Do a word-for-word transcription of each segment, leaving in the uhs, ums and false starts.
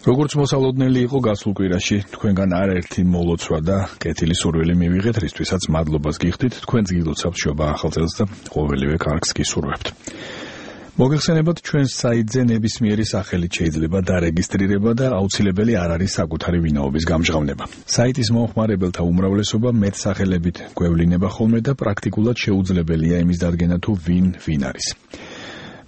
როგორც მოსალოდნელი იყო გასულ კვირაში, თქვენგან არაერთი მოლოცვა და კეთილი სურვილი მივიღეთ, რისთვისაც მადლობას გიხდით, თქვენს გილოცავთ შობა ახალ წელს და ყოველივე კარგს გისურვებთ. მოგეხსენებათ, ჩვენს საიტზე ნებისმიერი სახელით შეიძლება დარეგისტრირება და აუცილებელი არ არის საკუთარი ვინაობის გამჟღავნება. საიტის მომხმარებელთა უმრავლესობა მეტსახელებით გვევლინება ხოლმე და პრაქტიკულად შეუძლებელია იმის დადგენა თუ ვინ ვინ არის.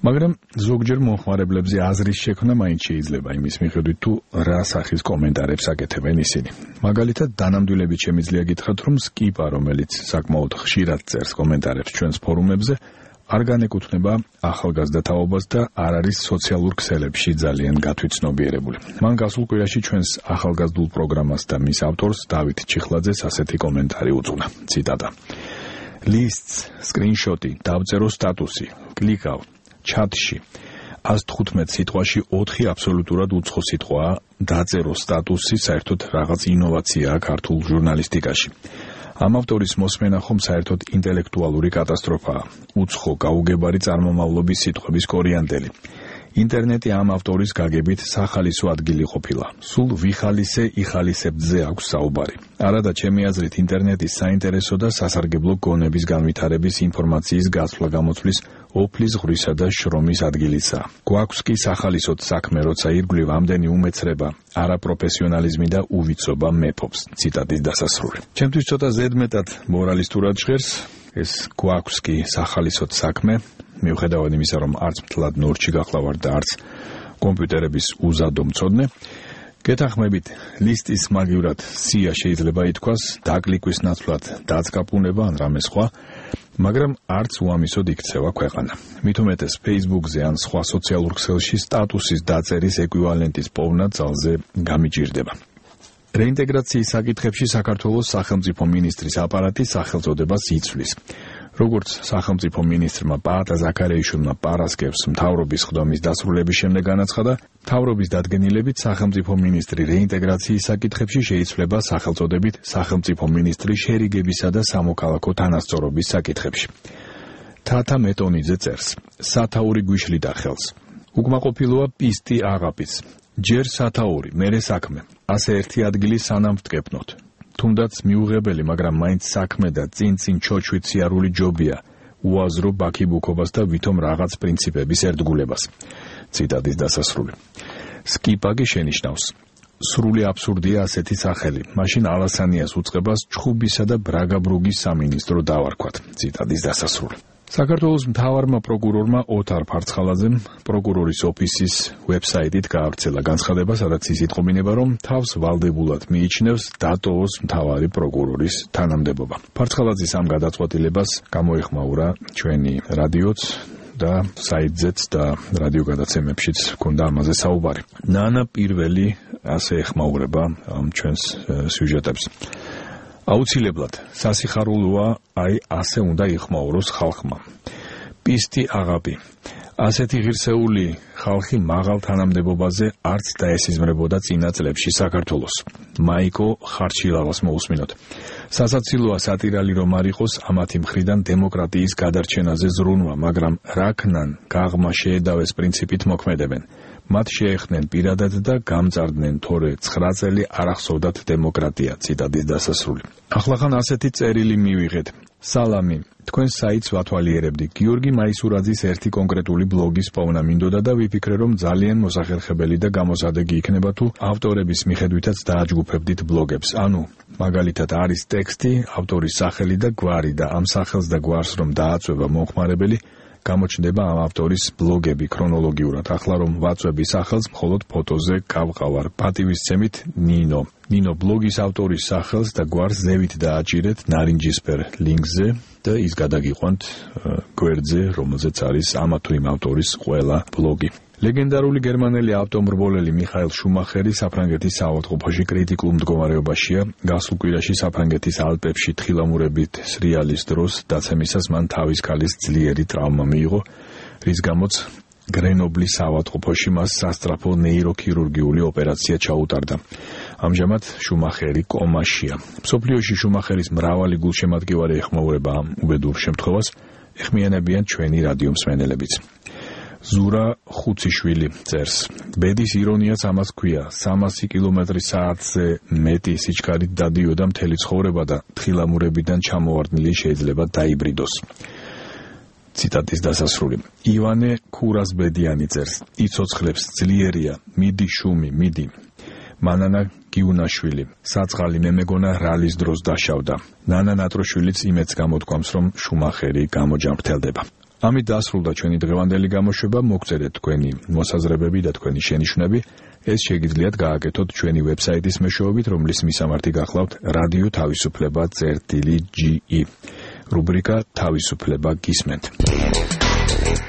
მაგრამ ზოგჯერ მომხმარებლებზე აზრის შექმნა მაინც შეიძლება იმის მიხედვით თუ რა სახის კომენტარებს აკეთებენ ისინი. მაგალითად, დანამდვილებით შემიძლია გითხრათ, რომ Skip-ა, რომელიც საკმაოდ ხშირად წერს კომენტარებს ჩვენს ფორუმებზე, არ განეკუთვნება ახალგაზრდა თაობას და არ არის სოციალურ ქსელებში ძალიან გათვითცნობიერებული. მან გასულ კვირაში ჩვენს ახალგაზრდულ პროგრამას და მის ავტორს დავით ჩიხლაძეს ასეთი კომენტარი უძღვნა. ციტატა: Lists, screenshot-ი, დავწერო სტატუსი, კლიკავ ჩატში. ას თხუთმეტ სიტყვაში ოთხი აბსოლუტურად უცხო სიტყვაა, დაწერო სტატუსი, საერთოდ რაღაც ინოვაციაა ქართულ ჟურნალისტიკაში. ამ ავტორის მოსმენა ხომ საერთოდ ინტელექტუალური კატასტროფაა. უცხო გაუგებარი წარმომავლობის სიტყვების კორიანდელი. ინტერნეტი ამ ავტორის გაგებით სახალისო ადგილი ყოფილა. სულ ვიხალისე იხალისებძე აქვს საუბარი. არადა ჩემი აზრით ინტერნეტის საინტერესო და სასარგებლო გონების განვითარების ინფორმაციის გაცვლა გამოცვლის ოფლის ღვრისა და შრომის ადგილიცაა. გვაქვს კი სახალისოდ საქმე, როცა ირგვლივ ამდენი უმეცრება, არაპროფესიონალიზმი და უვიცობა მეფობს. ციტატის დასასრული. ჩემთვის ცოტა ზედმეტად მორალისტურად ჟღერს ეს გვაქვს კი სახალისოდ საქმე, მიუხედავად იმისა, რომ არც მთლად ნორჩი გახლავარ და არც კომპიუტერების უზადო მცოდნე. გეთანხმებით, ლისტის მაგივრად სია შეიძლება ითქვას, დაკლიკვის ნაცვლად დაწკაპუნება ან რამე სხვა, მაგრამ არც უამისოდ იქცევა ქვეყანა. მით უმეტეს Facebook-ზე ან სხვა სოციალურ ქსელში სტატუსის დაწერის ეკვივალენტის პოვნა ძალზე გამიჭირდება. რეინტეგრაციის საკითხებში საქართველოს სახელმწიფო მინისტრის აპარატი სახელწოდებას იცვლის. როგორც სახელმწიფო მინისტრმა პაატა ზაქარიაშვილმა პარასკევს მთავრობის ხდომის დასრულების შემდეგ განაცხადა, მთავრობის დადგენილებით სახელმწიფო მინისტრი რეინტეგრაციის საკითხებში შეიცვლება სახელწოდებით სახელმწიფო მინისტრი შერიგებისა და სამოქალაქო თანასწორობის საკითხებში. თათა მეტონიძე წერს: სათაური გვიშლიდა ხელს. უკმაყოფილოა პისტი აღაპიც. ჯერ სათაური, მერე საქმე. ასე ერთი ადგილი სანამ ვტკეპნოთ. თუნდაც მიუღებელი, მაგრამ მაინც საქმე და წინ-წინ ჩოჩვით სიარული ჯობია, უაზრო ბაქიბუქობას და ვითომ რაღაც პრინციპების ერთგულებას. ციტატის დასასრული. Skip-აგი შენიშნავს: სრული აბსურდია ასეთი სახელი, მაშინ ალასანიას უწყებას ჩხუბისა და ბრაგაბრუგის სამინისტრო დავარქვათ. ციტატის დასასრული. საქართველოს მთავარმა პროკურორმა ოთარ ფარცხალაძემ პროკურორის ოფისის ვებსაიტით გაავრცელა განცხადება, სადაც ის იტყობინება, რომ თავს ვალდებულად მიიჩნევს დატოვოს მთავარი პროკურორის თანამდებობა. ფარცხალაძის ამ გადაწყვეტილებას გამოეხმაურა ჩვენი რადიოც და საიტზეც და რადიო გადაცემებშიც ჰქონდა ამაზე საუბარი. ნანა პირველი ასე ეხმაურება ამ ჩვენს სიუჟეტებს. აუცილებლად სასიხარულოა, აი ასე უნდა იხმაუროს ხალხმა. პისტი აღაპი. ასეთი ღირსეული ხალხი მაღალ თანამდებობაზე არც დაესიზმრებოდა წინა წლებში საქართველოს. მაიკო ხარჩილავას მოусმინოთ. სასაცილოა სატირალი რომ არ იყოს ამათი მხრიდან დემოკრატიის გადარჩენაზე ზრუნვა, მაგრამ რაკნან გაღმა შეედავეს პრინციპით მოქმედებენ. მათ შეეხნენ პირადად და გამწარდნენ, თორე ცხრა წელი არ ახსოვდათ დემოკრატია. ციტატის დასასრული. ახლახან ასეთი წერილი მივიღეთ. სალამი, თქვენ საიტს ვათვალიერებდი. გიორგი მაისურაძის ერთი კონკრეტული ბლოგის პოვნა მინდოდა და ვიფიქრე, რომ ძალიან მოსახერხებელი და გამოსადეგი იქნება თუ ავტორების მიხედვითაც დააჯგუფებდით ბლოგებს. ანუ, მაგალითად არის ტექსტი, ავტორის სახელი და გვარი და ამ სახელს და გვარს რომ დააწვევა მომხმარებელი, გამოჩნდება ამ ავტორის ბლოგები ქრონოლოგიურად. ახლა რომ ვაწვევი სახელს, მხოლოდ ფოტოზე გავყავარ. პატივისცემით ნინო. ნინო ბლოგის ავტორის სახელს და გვარს ზევით დააჭირეთ ნარინჯისფერ ლინკზე და ის გადაგიყვანთ გვერდზე, რომელზეც არის ამა თუ იმ ავტორის ყველა ბლოგი. ლეგენდარული გერმანელი ავტომრბოლელი მიხაელ შუმახერი საფრანგეთის საავადმყოფოში კრიტიკულ მდგომარეობაშია. გასულ კვირაში საფრანგეთის ალპებში თხილამურებით სრიალის დროს დაცემისას მან თავის ქალის ძლიერი ტრავმა მიიღო, რის გამოც გრენობლის საავადმყოფოში მას სასწრაფო ნეიროქირურგიული ოპერაცია ჩაუტარდა. ამჟამად შუმახერი კომაშია. მსოფლიოში შუმახერის მრავალი გულშემატკივარი ეხმაურება ამ უბედურ შემთხვევას, ეხმიანებიან ჩვენი რადიო მსმენელებიც. ზურა ხუციშვილი წერს. ბედის ირონიაც ამას ქვია. სამასი კილომეტრი საათზე მეტი სიჩქარით დადიოდა მთელი ცხოვრება და თხილამურებიდან ჩამოვარდნილი შეიძლება დაიბრიდოს. ციტატის დასასრული. ივანე ქურასბედიანი წერს. იცოცხლებს ძლიერია, მიდი შუმი, მიდი. მანანა გიუნაშვილი. საწყალი მე მეგონა რალის დროს დაშავდა. ნანა ნატროშვილიც იმეც გამოთქვამს, რომ შუმახერი გამოჯამრთელდება. ამით დასრულდა ჩვენი დღევანდელი გამოშვება. მოგწერეთ თქვენი მოსაზრებები და თქვენი შენიშვნები. ეს შეგიძლიათ გააკეთოთ ჩვენი ვებსაიტის მეშვეობით, რომლის მისამართი გახლავთ რადიო თავისუფლება წერტილი ჯი ი. რუბრიკა თავისუფლება გისმენთ.